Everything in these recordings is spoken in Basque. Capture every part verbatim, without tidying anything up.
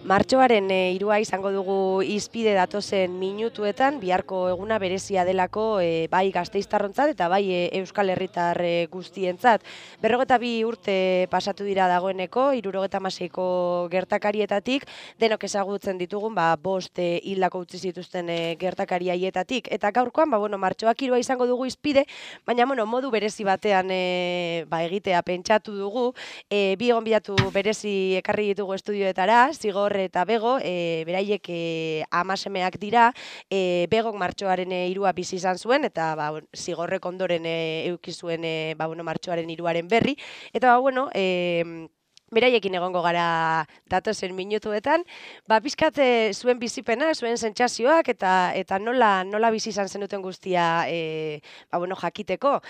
Martxoaren hirua izango dugu hizpide datozen minutuetan, biharko eguna berezia delako e, bai gasteiztarrontzat eta bai e, Euskal Herritar e, guztientzat. Berrogeta bi urte pasatu dira dagoeneko, hirurogeta hamaseiko gertakarietatik, denok ezagutzen ditugun, ba, bost e, hildako utzi zituzten e, gertakari haietatik. Eta gaurkoan, ba, bueno, martxoak hirua izango dugu hizpide, baina bueno, modu berezi batean e, ba, egitea pentsatu dugu, e, bi gonbidatu berezi ekarri ditugu estudioetara, Zigor eta Bego, e, beraiek e, amasemeak dira, e, Begok martxoaren e, hirua bizi izan zuen, eta ba, Zigorrek ondoren e, euki zuen e, ba, bueno, martxoaren hiruaren berri, eta ba, bueno, e, beraiekin egongo gara datozen minutuetan, ba, pizkat e, zuen bizipena, zuen sentsazioak, eta eta nola, nola bizi izan zenuten guztia e, ba, bueno, jakiteko.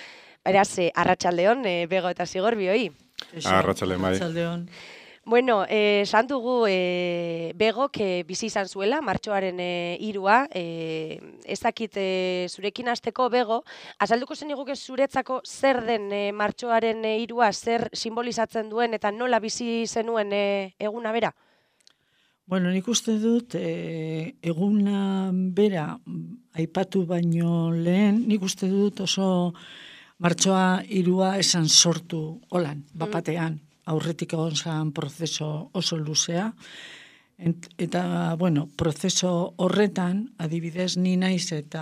Beraz, e, arratsaldeon, e, Bego eta Zigor bioi. Arratsaldeon, bai. Bueno, eh, esan dugu eh, Begok eh, bizi izan zuela, martxoaren eh, hirua, eh, ez dakit eh, zurekin hasteko Bego, azalduko zeniguke zuretzako zer den eh, martxoaren eh, hirua, zer simbolizatzen duen eta nola bizi zenuen eh, eguna bera? Bueno, nik uste dut eh, eguna bera aipatu baino lehen, nik uste dut oso martxoa hirua esan sortu holan, bapatean. Aurretik egon zan prozeso oso luzea, eta, bueno, prozeso horretan, adibidez, ni naiz eta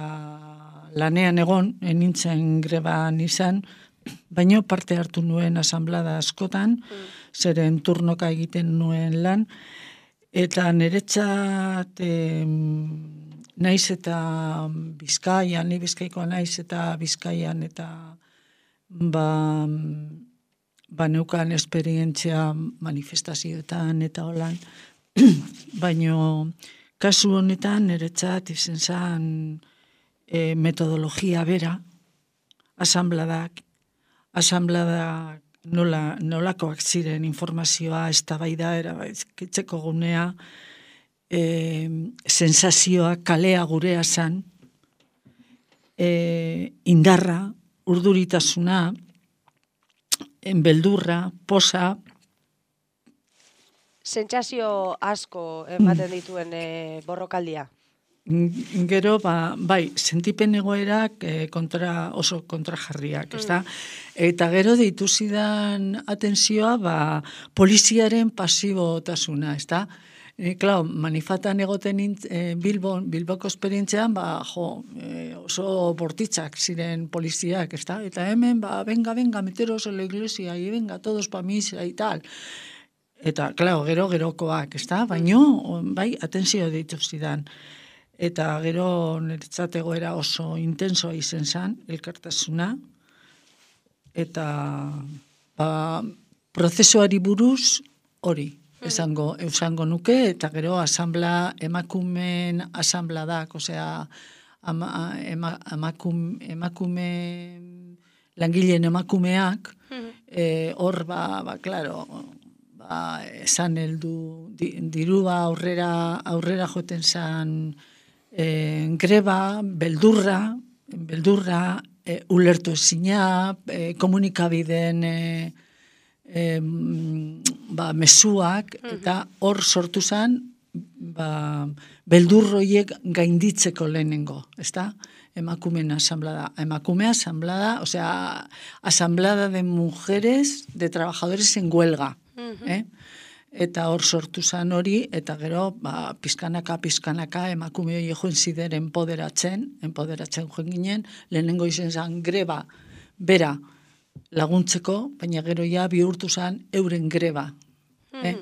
lanean egon, enintzen greban izan, baino parte hartu nuen asanblada askotan, zeren turnoka egiten nuen lan, eta niretzat eh, naiz eta Bizkaian, ni Bizkaikoa naiz eta Bizkaian, eta ba... ba neukan esperientzia manifestazioetan eta holan, baino kasu honetan niretzat izen zen e, metodologia bera, asanbladak, asanbladak nola, nolakoak ziren informazioa, eztabaida erabaizkitzeko gunea, e, sensazioa, kalea gurea zen, e, indarra, urduritasuna, beldurra, posa. Sentsazio asko ematen dituen e, borrokaldia. Gero, ba, bai, sentipen egoerak e, kontra, oso kontrajarriak, mm. ezta? Eta gero deitu zidan atentzioa, ba, poliziaren pasibotasuna, ezta? E, klar, manifatan egoten e, Bilbon, Bilboko esperientzean, ba, jo, e, oso bortitzak ziren poliziak, ezta? Eta hemen, ba, venga, venga, meteros en la iglesia, y venga, todos pa misa, y tal. Eta, klar, gero, gerokoak, ezta? Baino, bai, atentzio deitu zidan. Eta gero, niretzat egoera oso intensoa izen zan, elkartasuna, eta, ba, prozesuari buruz hori. Esango, esango nuke, eta gero asanbla, emakumeen asanbladak, osea, ama, ema, emakum, emakume, langileen emakumeak, hor, mm. ba, ba, klaro, ba, esan heldu, di, dirua aurrera, aurrera joten zan e, greba, beldurra, beldurra, e, ulertu ezina, e, komunikabideen, e, E, ba, mezuak, eta hor sortu zen ba, beldurroiek gainditzeko lehenengo, ezta? Emakumeen asamblada. Emakumea asamblada, osea, asamblada de mujeres, de trabajadores en huelga. Uh-huh. eh? Eta hor sortu zen hori, eta gero, ba, pizkanaka, pizkanaka, emakume hori joen zider enpoderatzen, enpoderatzen joen ginen, lehenengo izen zen greba, bera, laguntzeko, baina gero ja bihurtu zen euren greba. Mm. Eh?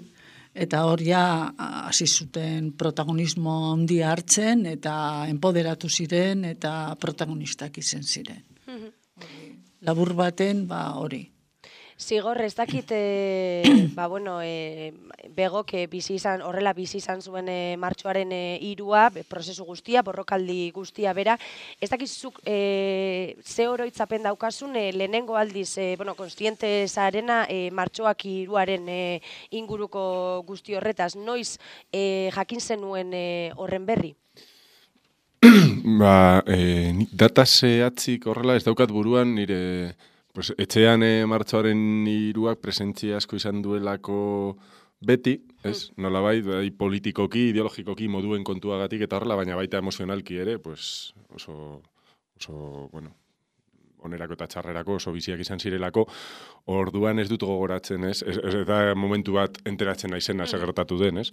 eta hor ja hasi zuten protagonismo handia hartzen, eta enpoderatu ziren, eta protagonistak izen ziren. Labur baten, ba, hori. Zigor, ez dakit, e, ba, bueno, e, begok e, bizi izan, horrela bizi izan zuen e, martxoaren e, irua, prozesu guztia, borrokaldi guztia bera, ez dakit zuk e, ze oroitzapen daukasun, e, lehenengo aldiz, e, bueno, konstiente zarena, e, martxoak iruaren e, inguruko guzti horretaz, noiz e, jakin zenuen e, horren berri? Ba, e, data zehatzik horrela ez daukat buruan nire... Pues, etxean e, martxoaren iruak presentzia asko izan duelako beti, ez? Mm. Nolabait, bai, politikoki, ideologikoki moduen kontuagatik eta horrela, baina baita emozionalki ere, pues, oso, oso, bueno, onerako eta txarrerako oso biziak izan zirelako, orduan ez dut gogoratzen, ez? Ez, ez eta momentu bat enteratzen naizena segertatu den, ez?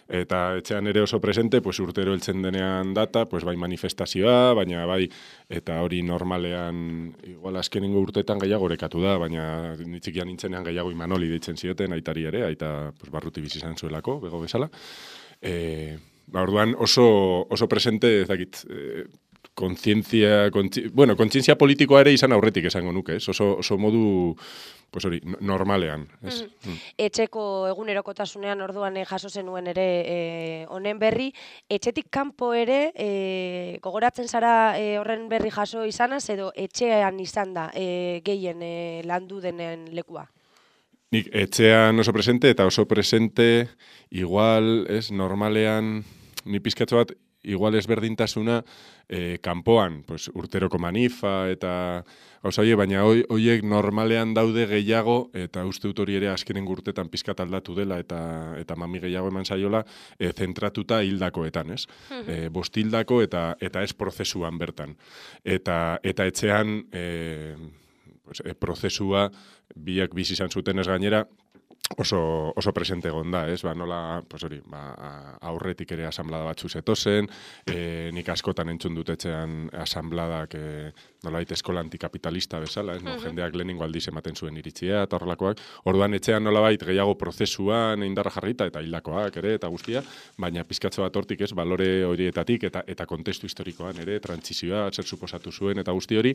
Eta etxean ere oso presente, pues urtero heltzen denean data, pues bai manifestazioa, baina bai, eta hori normalean, igual azkenengo urteetan gehiago orekatu da, baina nitzikian nintzenean gehiago Imanoli deitzen zioten, aitari ere, aita pues, barruti bizi izan zuelako, bego bezala. E, ba, orduan oso, oso presente, ez dakit, e, kontzientzia, kontzi, bueno, kontzientzia politikoa ere izan aurretik esango nuke, ez? Oso, oso modu, pues hori, normalean, ez? Mm. Mm. Etxeko egunerokotasunean orduan eh, jaso zenuen ere eh, honen berri, etxetik kanpo ere eh, gogoratzen zara eh, horren berri jaso izanaz, edo etxean izan da eh, gehien eh, landu denen lekua? Nik etxean oso presente, eta oso presente, igual, ez, normalean, ni pizkatxo bat, igual ezberdintasuna eh, kanpoan, pues, urteroko manifa eta gauza horiek, baina horiek normalean daude gehiago, eta uste dut hori ere azkenen urtetan pizkat aldatu dela, eta eta mami gehiago eman zaiola, eh, zentratuta hildakoetan, ez? Eh, bost hildako eta eta ez prozesuan bertan. Eta, eta etxean eh, pues, eh, prozesua biak bizi izan zuten ez gainera, oso, oso presente egon da, ez? Ba, nola, pues hori, ba, aurretik ere asamblada batzu zetozen, e, nik askotan entzun dut etxean asambladak, e, nolait eskola antikapitalista bezala, ez? No, jendeak lehenengo aldiz ematen zuen iritzia eta horrelakoak. Orduan etxean nolabait gehiago prozesuan indarra jarrita eta hildakoak ere eta guztia, baina pizkatxo bat hortik, ez? Balore horietatik eta eta kontestu historikoan ere, trantsizioa, zer suposatu zuen eta guzti hori,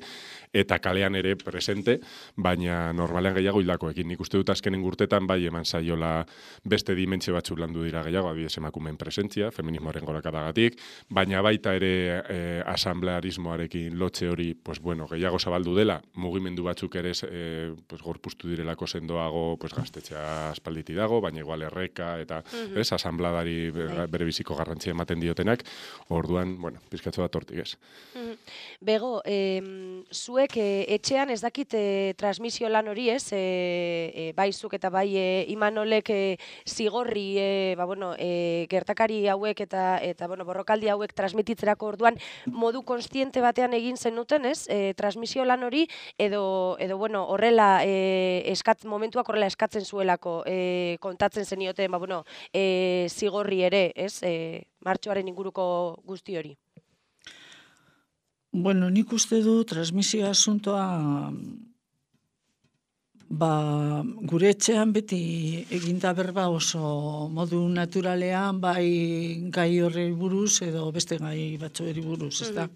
eta kalean ere presente, baina normalean gehiago hildakoekin. Nik uste dut azkenen urtetan bai eman zaiola beste dimentsio batzuk landu dira gehiago, adibidez emakumeen presentzia, feminismoaren gorakadagatik, baina baita ere e, asamblearismoarekin lotxe hori, pues bueno, gehiago zabaldu dela, mugimendu batzuk ere e, pues, gorpuztu direlako sendoago, pues gaztetxea aspalditi dago, baina igual erreka eta uh-huh. ez, asambladari bere biziko garrantzia ematen diotenak, orduan, bueno, pizkatxo bat hortik ez. Uh-huh. Bego, eh, zuek eh, etxean ez dakit eh, transmisio lan hori ez, eh, eh, bai zuk eta bai eh, Imanolek e, zigorri e, ba, bueno, e, gertakari hauek eta eta bueno, borrokaldi hauek transmititzerako orduan modu konstiente batean egin zenuten, ez? E, transmisio lan hori edo edo bueno, horrela e, eskat momentuak horrela eskatzen zuelako e, kontatzen zenioten, ba bueno, e, zigorri ere, ez? E, martxoaren inguruko guzti hori. Bueno, nik uste du transmisio asuntoa ba, gure etxean beti eginda berba oso modu naturalean, bai gai horri buruz edo beste gai batzueri buruz, ez da?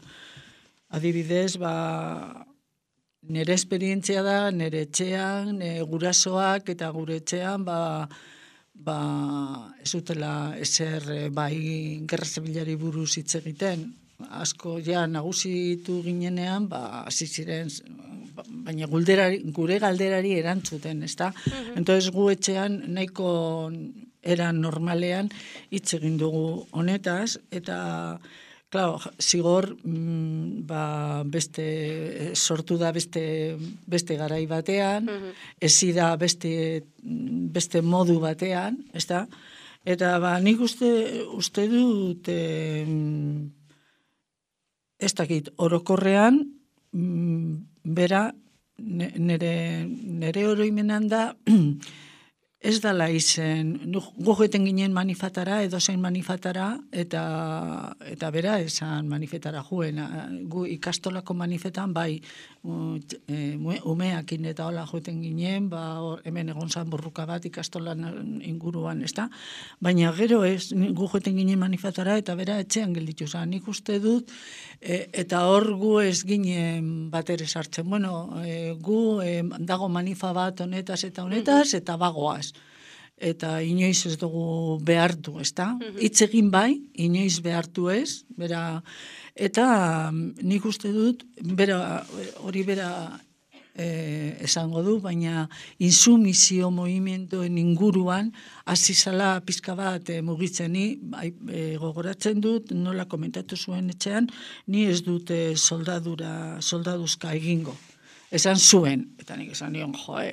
Adibidez, ba, nire esperientzia da, nire etxean, nire gurasoak eta gure etxean, ba, ba, ez utela ezer bai gerra zibilari buruz hitz egiten. Asko ja nagusitu ginenean, ba, hasi ziren, baina gulderari, gure galderari erantzuten, ezta? Uh-huh. Entonces gu etxean nahiko era normalean hitz egin dugu honetaz, eta claro, zigor mm, ba, beste sortu da beste, beste garai batean, uh-huh. ezi da beste, beste modu batean, ezta? Eta ba, nik uste, uste dut eh, ez dakit, orokorrean, bera, nere, nere oroimenan da, ez dala izen, gu joeten ginen manifatara, edozein manifatara, eta eta bera esan manifetara juen. Gu ikastolako manifetan, bai, umeakin eta hola joeten ginen, ba, hemen egon zan burruka bat ikastolan inguruan, ez da? Baina gero ez, gu joeten ginen manifatara, eta bera etxean gelditu zan. Nik uste dut, e, eta hor gu ez ginen bat ere sartzen. Bueno, e, gu e, dago manifa bat honetaz eta honetaz, eta bagoaz. Eta inoiz ez dugu behartu, ez da? Hitz egin bai, inoiz behartu ez, bera, eta nik uste dut, bera, hori bera e, esango du, baina insumizio movimenduen inguruan, hasi zala pizka bat e, mugitzen, ni e, gogoratzen dut, nola komentatu zuen etxean, ni ez dute soldadura, soldaduzka egingo. Esan zuen, eta nik esan nion, joe,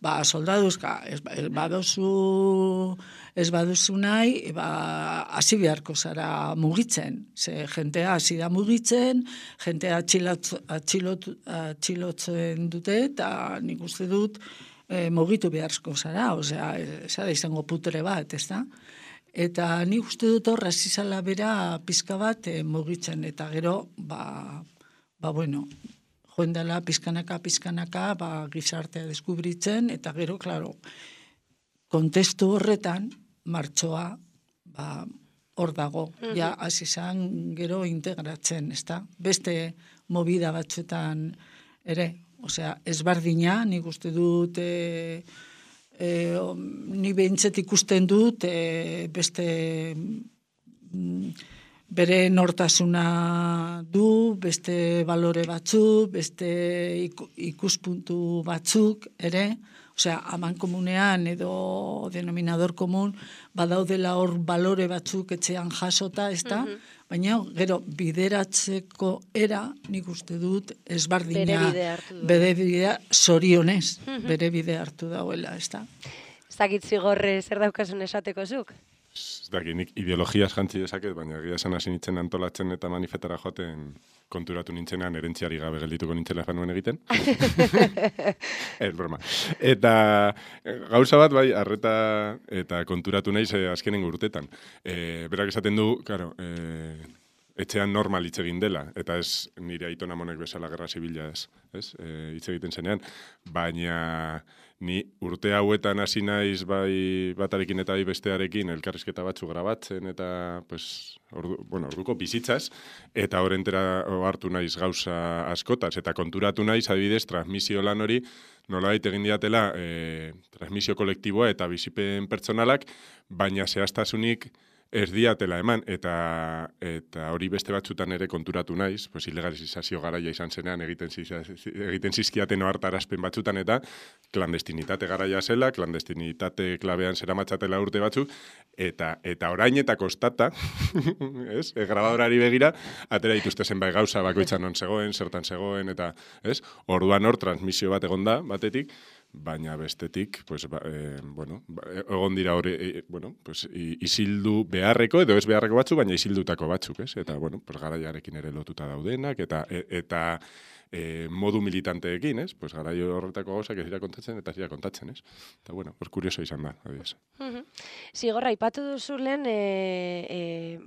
ba, soldaduzka, ez, ez baduzu, ez baduzu nahi, ba, hasi beharko zara mugitzen. Ze jentea hasi da mugitzen, jentea atxilot, atxilot, atxilotzen dute, eta nik uste dut e, mugitu beharko zara, osea, zara izango putere bat, ez da? Eta nik uste dut horra zizala bera pizka bat e, mugitzen, eta gero, ba, ba bueno, joen dela pizkanaka, pizkanaka, ba, gizartea deskubritzen, eta gero, klaro, kontestu horretan, martxoa, ba, hor dago, mm-hmm. ja, hasi izan gero integratzen, ez da? Beste movida batzuetan ere, osea, ezbardina, nik uste dut, e, e, ni behintzet ikusten dut, e, beste... Mm, bere nortasuna du, beste balore batzuk, beste ikuspuntu batzuk ere, osea, aman komunean edo denominador komun, badaudela hor balore batzuk etxean jasota, ez da? Mm-hmm. Baina, gero, bideratzeko era, nik uste dut, ezbardina, bere bide hartu du. Bere bidea, zorionez, mm-hmm. bere bide hartu dauela, ez da? Ez dakit zigorre zer daukasun esateko zuk? Ez dakit, nik ideologiaz jantzi dezaket, baina egia esan hasi nintzen antolatzen eta manifetara joaten konturatu nintzenean erentziari gabe geldituko nintzela fanuen egiten. Ez, broma. Eta gauza bat, bai, arreta eta konturatu naiz eh, azkenengo urtetan. E, berak esaten du, claro, e, etxean normal hitz egin dela, eta ez nire aitona monek bezala gerra zibila ez, ez? E, hitz egiten zenean, baina ni urte hauetan hasi naiz bai batarekin eta bai bestearekin elkarrizketa batzu grabatzen eta pues, ordu, bueno, orduko bizitzaz, eta horrentera hartu naiz gauza askotaz, eta konturatu naiz adibidez transmisio lan hori nolabait egin diatela e, transmisio kolektiboa eta bizipen pertsonalak, baina zehaztasunik ez diatela eman, eta eta hori beste batzutan ere konturatu naiz, pues ilegalizazio garaia izan zenean egiten, egiten zizkiaten ohartarazpen batzutan, eta klandestinitate garaia zela, klandestinitate klabean zeramatzatela urte batzuk, eta eta orain eta kostata, ez? E, grabadorari begira, atera dituzte zenbait gauza bakoitzan non zegoen, zertan zegoen, eta ez? Orduan hor transmisio bat egon da, batetik, baina bestetik, pues, ba, e, bueno, egon dira hori, e, bueno, pues, isildu beharreko, edo ez beharreko batzuk, baina isildutako batzuk, ez? Eta, bueno, pues, garaiarekin ere lotuta daudenak, eta, e, eta e, modu militanteekin, ez? Pues, garai horretako gauzak ez dira kontatzen, eta ez dira kontatzen, ez? Eta, bueno, pues, kurioso izan da, adiez. Uh-huh. Zigorra, ipatu duzu lehen, e, e,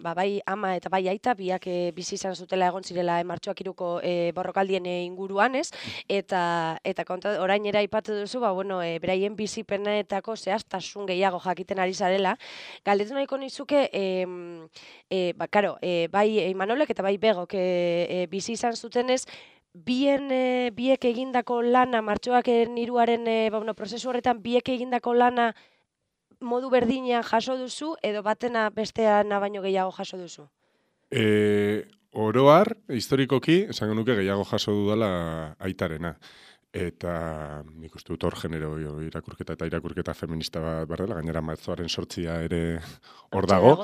ba, bai ama eta bai aita, biak e, bizi izan zutela egon zirela e, martxoak iruko e, borrokaldien e, inguruan, ez? Eta, eta konta, orainera ipatu duzu, ba, bueno, e, beraien bizipenetako zehaztasun gehiago jakiten ari zarela. Galdetu nahiko nizuke, e, e, ba, karo, e, bai Imanolek eta bai Begok e, e, bizi izan zutenez, bien, e, biek egindako lana, martxoak hiruaren e, ba, bueno, prozesu horretan biek egindako lana modu berdinean jaso duzu, edo batena besteana baino gehiago jaso duzu? E, oroar, historikoki, esango nuke gehiago jaso dudala aitarena. Eta nik uste dut hor genero irakurketa eta irakurketa feminista bat berdela, gainera martxoaren sortzia ere hor dago.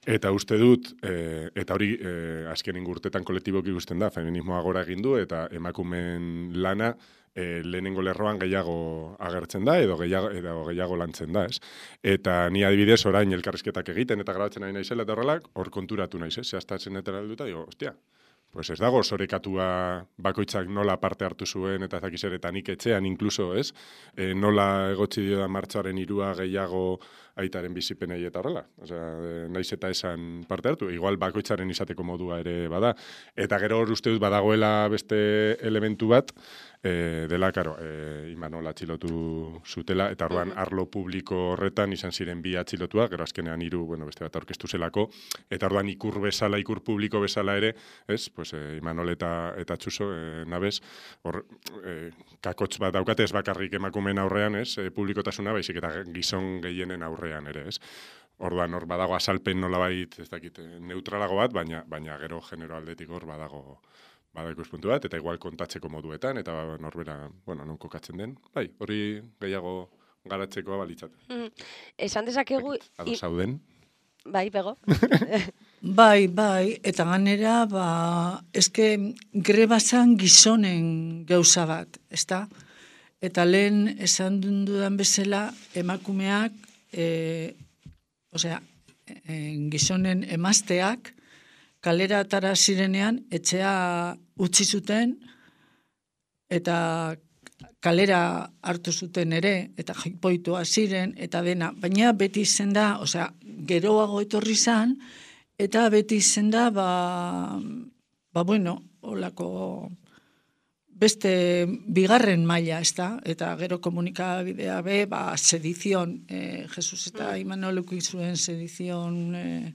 Eta uste dut, e, eta hori e, azkenin urtetan kolektiboki ikusten da, feminismoa gora egin du, eta emakumen lana e, lehenengo lerroan gehiago agertzen da, edo gehiago, edo gehiago lantzen da, ez? Eta ni adibidez orain elkarrizketak egiten eta grabatzen nahi naizela eta horrelak, hor konturatu naiz, ez? Zehaztatzen eta alduta, digo, ostia, pues ez dago zorekatua bakoitzak nola parte hartu zuen eta zakiz ere, eta nik etxean inkluso, ez? E, nola egotzi dio da martxoaren hirua gehiago aitaren bizipenei eta horrela. Osea, naiz eta esan parte hartu, igual bakoitzaren izateko modua ere bada. Eta gero hor uste dut badagoela beste elementu bat, e, dela, karo, e, Imanol atxilotu zutela, eta orduan arlo publiko horretan izan ziren bi atxilotua, gero azkenean hiru, bueno, beste bat aurkeztu zelako, eta orduan ikur bezala, ikur publiko bezala ere, ez, pues, e, Imanol eta, eta Txuso, e, nabez, hor, e, kakotx bat daukate ez bakarrik emakumeen aurrean, ez, e, publikotasuna, baizik eta gizon gehienen aurrean ere, ez. Orduan hor badago azalpen nolabait, ez dakit, neutralago bat, baina baina gero genero aldetik hor badago badago ikuspuntu bat, eta igual kontatzeko moduetan, eta norbera, bueno, non kokatzen den. Bai, hori gehiago garatzekoa balitzat. Mm. Esan dezakegu... Ado zauden. Bai, bego. Bai, bai, eta ganera, ba, eske greba zan gizonen gauza bat, ezta? Eta lehen esan dudan bezala, emakumeak, e, osea, e, gizonen emazteak, kalera atara zirenean, etxea utzi zuten, eta kalera hartu zuten ere, eta jipoitua ziren, eta dena. Baina beti izen da, osea, geroago etorri zan, eta beti izen da, ba, ba bueno, olako beste bigarren maila, ez da? Eta gero komunikabidea be, ba, sedizion, eh, Jesus eta Imanoluk izuen sedizion... Eh,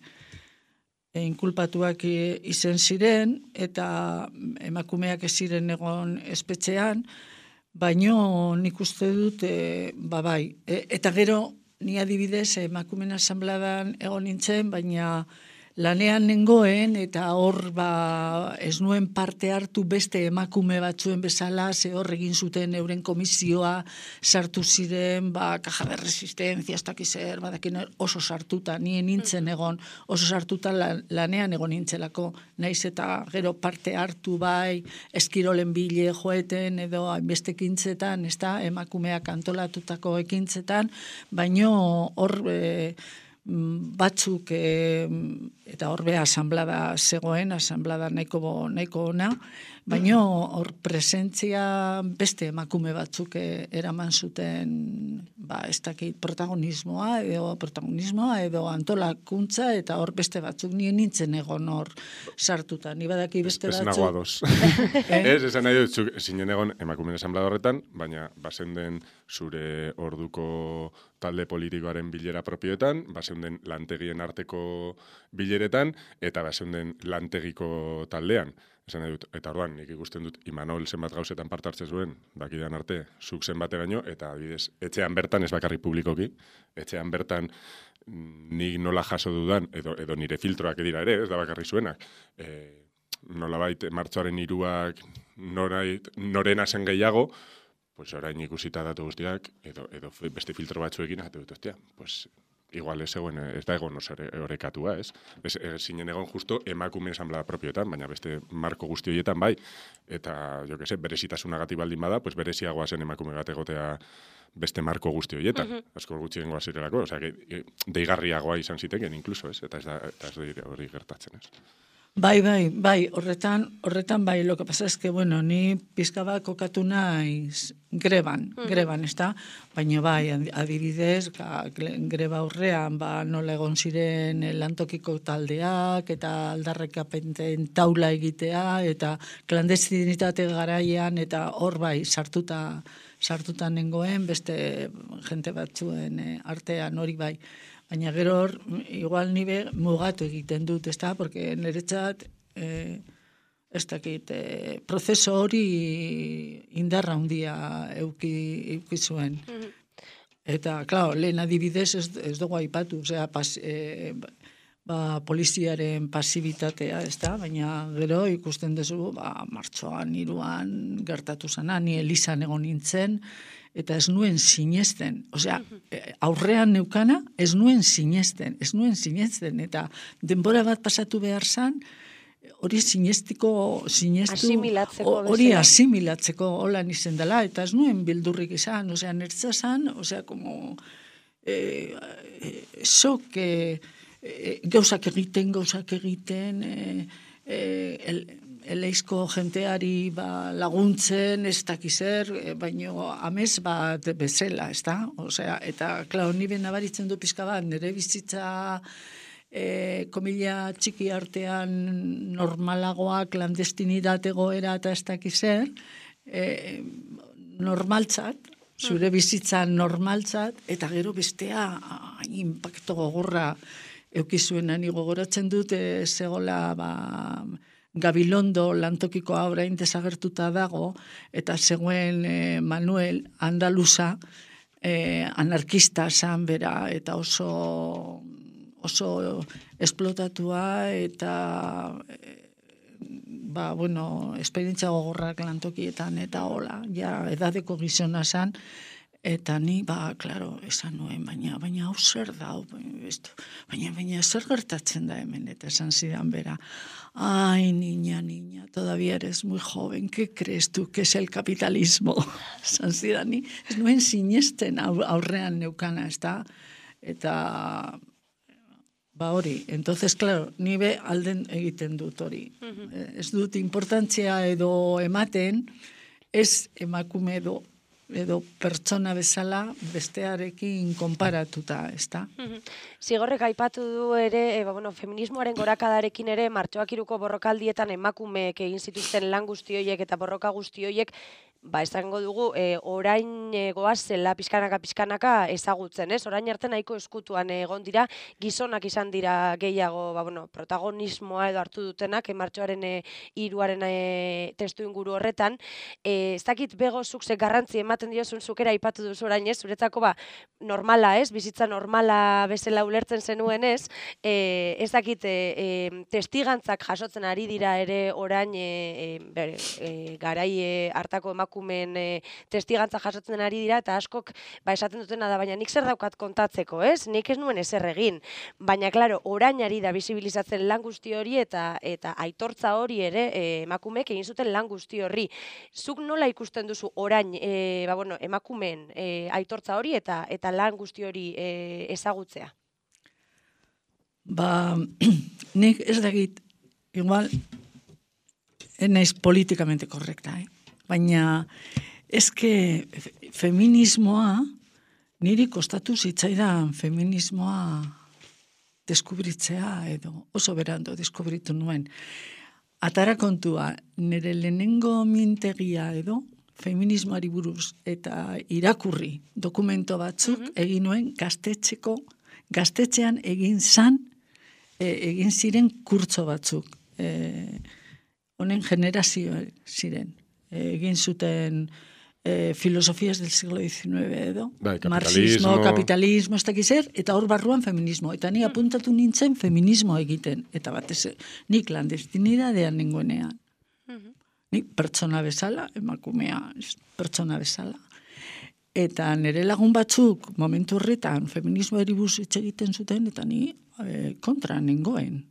inkulpatuak izen ziren, eta emakumeak ez ziren egon espetxean, baino nik uste dut, e, ba bai. E, eta gero, ni adibidez, emakumeen asambladan egon nintzen, baina lanean nengoen, eta hor ba, ez nuen parte hartu beste emakume batzuen bezala, ze hor egin zuten euren komisioa, sartu ziren, ba, kaja de resistenzia, ez dakiz zer, badakin oso sartuta, nien nintzen egon, oso sartuta lanean egon nintzelako, naiz eta gero parte hartu bai, eskirolen bile joeten, edo hainbeste ekintzetan, ez da, emakumeak antolatutako ekintzetan, baino hor... E, batzuk e, eta horbe asamblada zegoen, asamblada nahiko, nahiko ona, baina hor presentzia beste emakume batzuk eraman zuten ba, ez dakit protagonismoa edo protagonismoa edo antolakuntza eta hor beste batzuk nien nintzen egon hor sartuta. Ni badaki beste batzuk... Ez nagoa dos. Ez, esan nahi dut, zinen egon emakumeen asamblada horretan, baina bazen den zure orduko talde politikoaren bilera propioetan, bazen den lantegien arteko bileretan, eta bazen den lantegiko taldean. Esan nahi dut, eta orduan, nik ikusten dut Imanol zenbat gauzetan parte hartzen zuen, dakidan arte, zuk zenbateraino, eta adibidez, etxean bertan, ez bakarrik publikoki, etxean bertan nik nola jaso dudan, edo, edo nire filtroak edira ere, ez da bakarrik zuenak, e, nolabait martxoaren hiruak norait, norena zen gehiago, pues orain ikusita datu guztiak, edo, edo beste filtro batzuekin, eta dut, ostia, pues... Igual ez egon, ez da egon horrekatua, ez? Ez, ez zinen egon justo emakumeen asamblea propioetan, baina beste marko guzti horietan bai. Eta, jo que se, berezitasunagatik baldin bada, pues bereziagoa zen emakume bat egotea beste marko guzti horietan. Uh -huh. Asko gutxien goa zirelako, osea, deigarriagoa izan ziteken, inkluso, ez? Eta ez da, eta ez da hori gertatzen, ez? Bai, bai, bai, horretan, horretan bai, lo que pasa es que, bueno, ni pizka bat kokatu naiz greban, mm. greban, ez da? Baina bai, adibidez, ka, greba horrean, ba, nola egon ziren lantokiko taldeak, eta aldarrekapenten taula egitea, eta klandestinitate garaian, eta hor bai, sartuta, sartuta nengoen, beste jente batzuen eh, artean hori bai. Baina gero hor, igual nibe mugatu egiten dut, ez da? Porque niretzat, eh, ez dakit, eh, prozeso hori indarra handia euki, euki zuen. Mm-hmm. Eta, klaro, lehen adibidez ez, ez dugu aipatu, osea, pas, eh, ba, poliziaren pasibitatea, ez da? Baina gero ikusten duzu, ba, martxoan, hiruan gertatu zana, ni Elizan egon nintzen, eta ez nuen sinesten. Osea, aurrean neukana, ez nuen sinesten, ez nuen sinesten, eta denbora bat pasatu behar zan, hori sinestiko, sinestu, hori asimilatzeko holan izen dela, eta ez nuen bildurrik izan, osea, nertza zan, osea, como, eh, eh, sok, eh, eh, gauzak egiten, gauzak egiten, eh, eh, el, eleizko jenteari ba, laguntzen, ez dakizer, baino amez bat bezala, ez da? Osea, eta, klar, ni ben nabaritzen du pizka bat, nire bizitza e, komila txiki artean normalagoa, klandestinitate goera eta ez dakizer, e, normaltzat, zure bizitza normaltzat, eta gero bestea impacto gogorra eukizuen, ani gogoratzen dut, e, zegoela, ba, Gabilondo lantokikoa orain desagertuta dago, eta zegoen e, Manuel Andaluza, e, anarkista zan bera, eta oso, oso esplotatua, eta e, ba, bueno, esperientzia gogorrak lantokietan, eta hola, ja, edadeko gizona zan, eta ni, ba, klaro, esan nuen, baina, baina hau zer da, baina, baina zer gertatzen da hemen, eta esan zidan bera, ai, niña, niña, todavía eres muy joven, ¿qué crees tú que es el capitalismo? Esan zidan, ni, ez nuen sinesten aurrean neukana, ez da, eta... Ba hori, entonces, claro, ni be alden egiten dut hori. Uh-huh. Ez dut importantzia edo ematen, ez emakume edo, edo pertsona bezala bestearekin konparatuta, ez da? Uh-huh. Zigorrek aipatu du ere, e, ba, bueno, feminismoaren gorakadarekin ere, martxoak hiruko borrokaldietan emakumeek egin zituzten lan guzti horiek eta borroka guzti horiek, ba, esango dugu, e, orain e, goazela pizkanaka-pizkanaka ezagutzen, ez? Orain arte nahiko eskutuan egon dira, gizonak izan dira gehiago, ba, bueno, protagonismoa edo hartu dutenak, e, martxoaren e, iruaren e, testu inguru horretan. E, ez dakit begozuk ze garrantzi ematen diozun zukera aipatu duzu orain, ez? Zuretzako, ba, normala, ez? Bizitza normala bezala ulertzen zenuen, ez? E, ez dakit, e, e, testigantzak jasotzen ari dira ere orain e, e, bere, e, garai e, hartako emakume emakumeen e, testigantza jasotzen ari dira, eta askok ba, esaten dutena da, baina nik zer daukat kontatzeko, ez? Nik ez nuen ezer egin. Baina, klaro, orain ari da bizibilizatzen lan guzti hori, eta eta aitortza hori ere e, emakumeek egin zuten lan guzti horri. Zuk nola ikusten duzu orain e, ba, bueno, emakumeen e, aitortza hori eta eta lan guzti hori e, ezagutzea? Ba, nik ez dakit, igual, naiz politikamente korrekta, eh? Baina, eske feminismoa, niri kostatu zitzaidan feminismoa deskubritzea edo oso berando deskubritu nuen. Atara kontua, nire lehenengo mintegia edo feminismoari buruz eta irakurri dokumento batzuk mm-hmm. egin nuen gaztetxeko, gaztetxean egin zan, e, egin ziren kurtso batzuk. E, honen generazio ziren. Egin zuten eh, filosofias del siglo diecinueve edo, bai, marxismo, kapitalismo, ez dakiz zer, eta hor barruan feminismo. Eta ni apuntatu nintzen feminismo egiten. Eta batez, nik landestinidadean nengoenean. Uh-huh. Nik pertsona bezala, emakumea pertsona bezala. Eta nire lagun batzuk, momentu horretan, feminismo eribuz hitz egiten zuten, eta ni eh, kontra nengoen.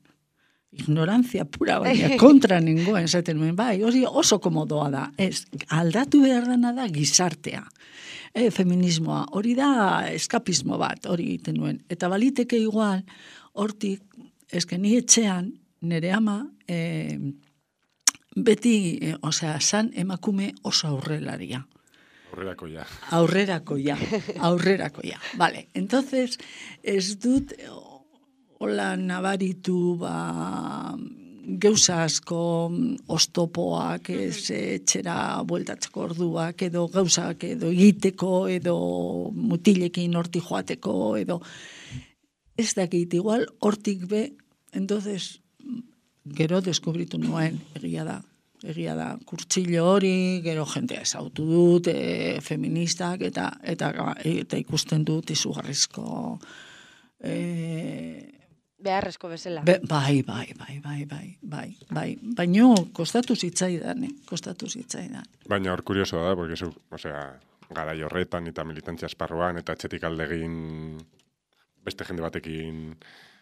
Ignorantzia pura, baina kontra nengoen, zaten nuen, bai, hori oso komodoa da, ez, aldatu behar dana da gizartea, e, feminismoa, hori da eskapismo bat, hori egiten nuen, eta baliteke igual, hortik, eske ni etxean, nire ama, e, beti, e, osea, san emakume oso aurrelaria. Aurrerakoia. Aurrerakoia, aurrerakoia, vale, entonces, ez dut... Hola, nabaritu, ba, geuza asko oztopoak, ez etxera bueltatzeko orduak, edo gauzak, edo egiteko, edo mutilekin horti joateko, edo ez dakit, igual, hortik be, entonces, gero deskubritu nuen, egia da, egia da, kurtsillo hori, gero jentea ezautu dut, e, feministak, eta, eta, eta ikusten dut izugarrizko... E, beharrezko bezala. Be, bai, bai, bai, bai, bai, bai, bai. Baina kostatu zitzaidan, eh? Kostatu zitzaidan. Baina hor kuriosoa da, porque zu, osea, garai horretan eta militantzia esparruan eta etxetik aldegin beste jende batekin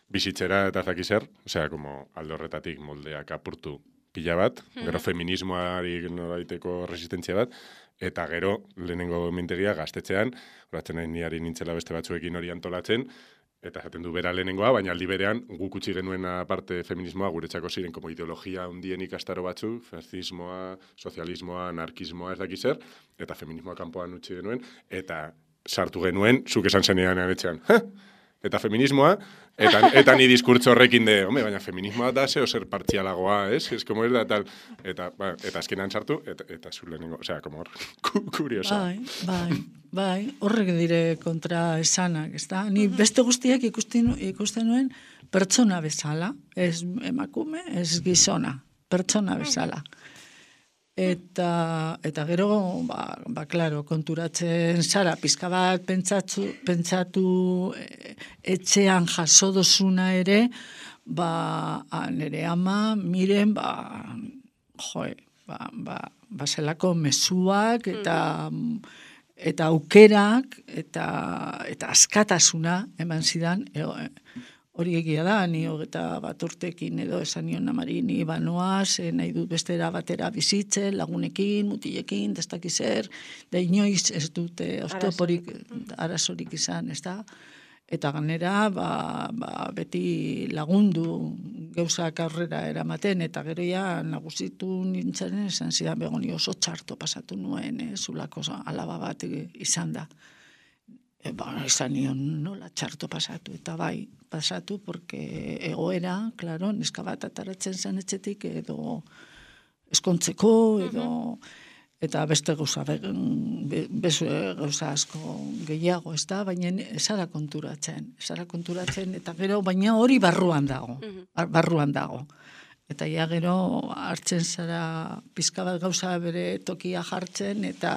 bizitzera eta zaki zer, osea, como alde horretatik moldeak apurtu pila bat, mm-hmm. gero feminismoari noraiteko resistentzia bat, eta gero lehenengo mintegia gaztetxean, horatzen nahi niari nintzela beste batzuekin hori antolatzen, eta esaten du bera lehenengoa, baina aldi berean guk utzi genuen aparte feminismoa guretzako ziren como ideologia hundien ikastaro batzu, fascismoa, sozialismoa, anarkismoa, ez dakiz zer, eta feminismoa kanpoan utzi genuen, eta sartu genuen, zuk esan zenean etxean, eta feminismoa, eta, eta ni diskurtso horrekin de, home, baina feminismoa da zeo zer partzialagoa, ez? Ez como ez da, tal, eta, ba, eta azkenan sartu, eta, eta zu lehenengo, osea, como hor, kuriosa. Bai, bai, bai, horrek dire kontra esanak, ez da? Ni beste guztiak ikusten, ikusten nuen pertsona bezala, ez emakume, ez gizona, pertsona bezala. Eta, eta gero, ba, ba, klaro, konturatzen zara, pizka bat pentsatu, pentsatu etxean jaso dozuna ere, ba, nire ama, miren, ba, joe, ba, ba, ba zelako mezuak, eta, eta aukerak, eta, eta askatasuna, eman zidan, ego, hori egia da, ni hogeta bat urtekin edo esan nion amari ni banoaz, nahi dut bestera batera bizitzen, lagunekin, mutilekin, destakizer, da inoiz ez dute oztoporik, arazorik izan, ez da? Eta ganera, ba, ba, beti lagundu gauzak aurrera eramaten, eta gero ja nagusitu nintzen, esan zidan begoni oso txarto pasatu nuen, eh, zulako alaba bat izan da. E, ba, izan nion nola txarto pasatu, eta bai, pasatu, porque egoera, klaro, neska bat ataratzen zen etxetik, edo eskontzeko, edo, eta beste gauza, beste gauza asko gehiago, ez da, baina esara konturatzen, esara konturatzen, eta gero, baina hori barruan dago, barruan dago. Eta ja gero hartzen zara pizka bat gauza bere tokia jartzen, eta,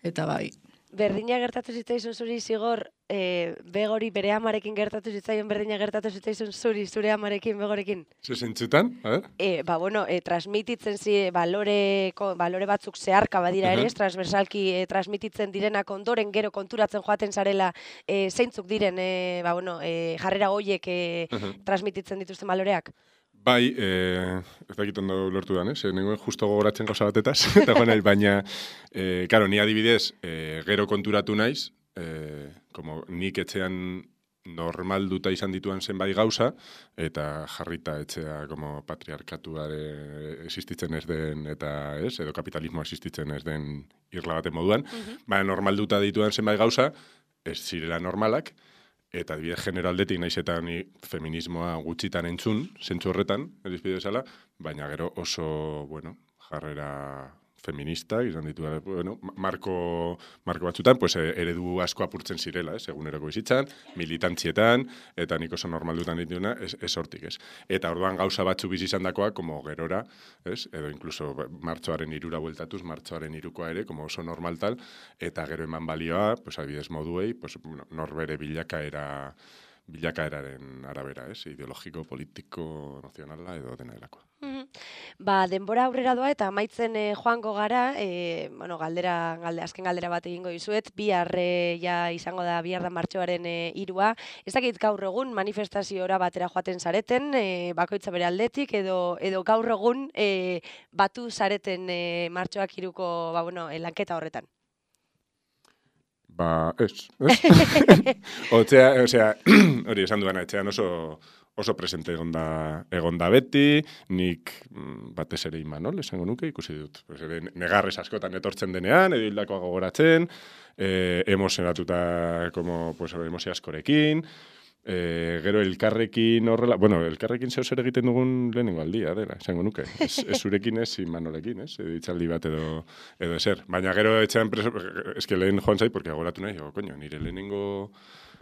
eta bai. Berdina gertatu zitzaizun zuri zigor, e, begori bere amarekin gertatu zitzaion berdina gertatu zitzaizun zuri, zure amarekin, begorekin? Zezentzutan, a ver? E, ba, bueno, e, transmititzen zi, balore, balore batzuk zeharka badira ere, uh -huh. transversalki e, transmititzen direnak ondoren gero konturatzen joaten zarela e, zeintzuk diren, e, ba, bueno, e, jarrera goiek e, uh -huh. transmititzen dituzten baloreak? Bai, eh, ez dakit ondo lortu dan, eh? Nengoen justo gogoratzen gauza batetaz, eta joan nahi, baina, eh, karo, ni adibidez, eh, gero konturatu naiz, eh, como nik etxean normalduta izan dituan zenbait gauza, eta jarrita etxea como patriarkatuare existitzen ez den, eta ez, edo kapitalismo existitzen ez den irla baten moduan, uh-huh. baina normalduta dituan zenbait gauza, ez zirela normalak, eta adibidez generaldetik naiz eta ni feminismoa gutxitan entzun, zentzu horretan, edizpide bezala, baina gero oso, bueno, jarrera feminista, izan ditu, bueno, marko, marko batzutan, pues, eredu asko apurtzen zirela, ez, eguneroko bizitzan, militantzietan, eta nik oso normaldutan dituna, ez, ez hortik, ez. Eta orduan gauza batzu bizi izan dakoa, como gerora, ez, edo incluso martxoaren irura bueltatuz, martxoaren irukoa ere, como oso normal tal, eta gero eman balioa, pues, adibidez moduei, pues, bueno, norbere bilakaera, bilakaeraren arabera, ez, ideologiko, politiko, nazionala, edo dena delakoa. Ba, denbora aurrera doa eta amaitzen e, joango gara, e, bueno, galdera, galde, azken galdera bat egingo dizuet, bihar e, ja izango da bihar da martxoaren e, irua. Ez dakit gaur egun manifestaziora batera joaten zareten, e, bakoitza bere aldetik, edo, edo gaur egun e, batu zareten e, martxoak iruko, ba, bueno, e, lanketa horretan. Ba, ez, ez? Otzea, osea, hori esan duena, etxean oso... oso presente egonda, egonda beti, nik batez ere Imanol, esango nuke, ikusi dut. Pues ere, negarrez askotan etortzen denean, edo hildakoa gogoratzen, eh, emozionatuta, como, pues, emozio askorekin, eh, gero elkarrekin horrela, bueno, elkarrekin zeu zer egiten dugun lehenengo aldia, dela, esango nuke. Ez, ez zurekin ez, Imanolekin, ez, edo itzaldi bat edo, edo eser. Baina gero etxean preso, eske lehen joan zait, porque agoratu nahi, oh, coño, nire lehenengo...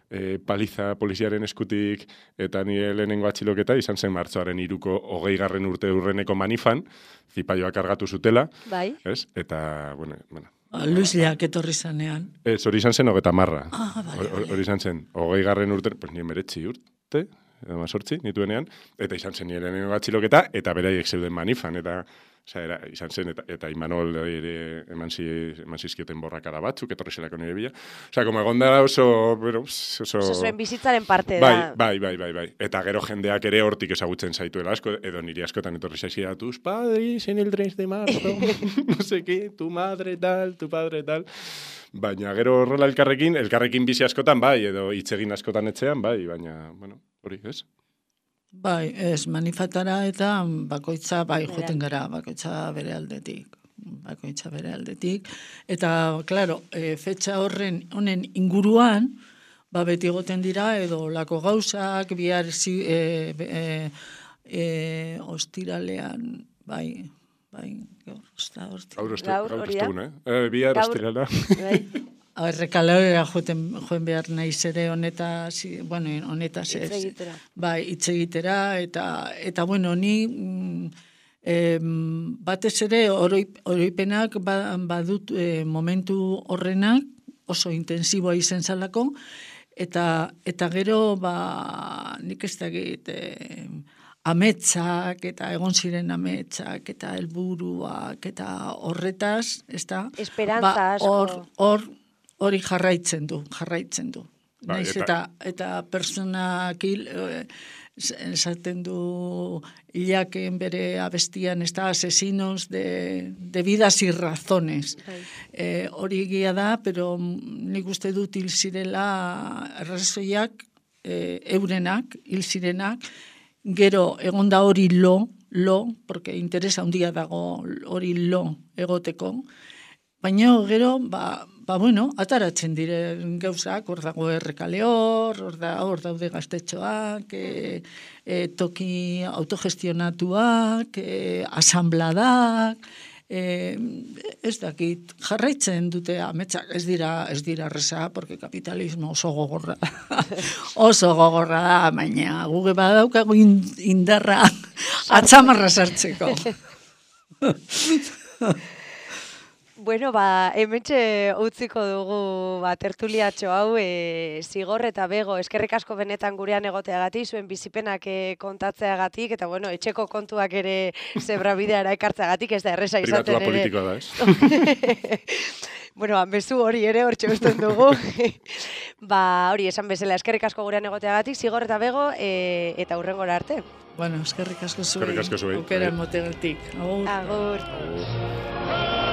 E, paliza poliziaren eskutik eta nire lehenengo atxiloketa izan zen martxoaren iruko hogei garren urte urreneko manifan, zipaioak kargatu zutela, bai. Ez? Eta, bueno, bueno. Luis Leak etorri zanean. Ez, hori izan zen hogeta marra. Ah, bale, Hori izan zen, hogei garren urte, pues nire meretzi urte, edo mazortzi, nituenean, eta izan zen nire lehenengo atxiloketa, eta beraiek zeuden manifan, eta Osa, era, izan zen, eta, eta Imanol ere eman, zi, eman zizkioten borrakada batzuk, etorri zelako nire bila. Osa, como egon da oso... Bueno, oso... Oso zuen bizitzaren parte bai, da. Bai, bai, bai, bai. Eta gero jendeak ere hortik ezagutzen zaituela asko, edo niri askotan etorri zaizia, tus padres en el tres de marzo, no sé qué, tu madre tal, tu padre tal... Baina gero horrela elkarrekin, elkarrekin bizi askotan, bai, edo hitzegin askotan etxean, bai, baina, bueno, hori, ez? Bai, ez, manifatara eta bakoitza, bai, joten gara, bakoitza bere aldetik. Bakoitza bere aldetik. Eta, klaro, e, fetxa horren, honen inguruan, ba, beti egoten dira, edo lako gauzak, bihar zi, e, e, e, ostiralean, bai, bai, gaur, osta, ostiralean. Gaur, hori da? Eh, bihar ostirala. Bai. Errekalera joten joen behar naiz ere honetaz, bueno, honetaz ez. Itzegitera. Bai, itzegitera, eta, eta bueno, ni mm, eh, batez ere oroip, oroipenak ba, badut eh, momentu horrenak oso intensiboa izen zalako, eta, eta gero ba, nik ez dakit eh, ametsak, eta egon ziren ametsak, eta helburuak, eta horretaz, ez da? Esperantza ba, asko. Hor, hor, hori jarraitzen du, jarraitzen du. Ba, Naiz eta, eta, eta personak hil, esaten du Ilaken bere abestian, ez da, asesinos de, de vidas y razones. Eh, hori egia da, pero nik uste dut hil zirela arrazoiak, eh, eurenak, hil zirenak, gero egon da hori lo, lo, porque interesa handia dago hori lo egoteko, baina gero, ba, ba bueno, ataratzen diren gauzak, hor dago errekale hor, hor, da, hor daude gaztetxoak, e, e, toki autogestionatuak, e, asambladak, e, ez dakit, jarraitzen dute ametsak, ez dira, ez dira reza, porque kapitalismo oso gogorra da, oso gogorra da, baina guge badaukagu indarra atzamarra sartzeko. Bueno, ba, hementxe utziko dugu ba, tertuliatxo hau, e, Zigor eta Bego, eskerrik asko benetan gurean egoteagatik, zuen bizipenak e, kontatzeagatik, eta bueno, etxeko kontuak ere zebrabideara ekartzeagatik, ez da erresa izaten ere. Pribatua politikoa da, ez? Bueno, bezu hori ere hor txosten dugu. Ba, hori, esan bezala, eskerrik asko gurean egoteagatik, Zigor eta Bego, e, eta hurrengora arte. Bueno, eskerrik asko zuei. Eskerrik asko zuei. Aukera motegatik. Agur. Agur. Agur.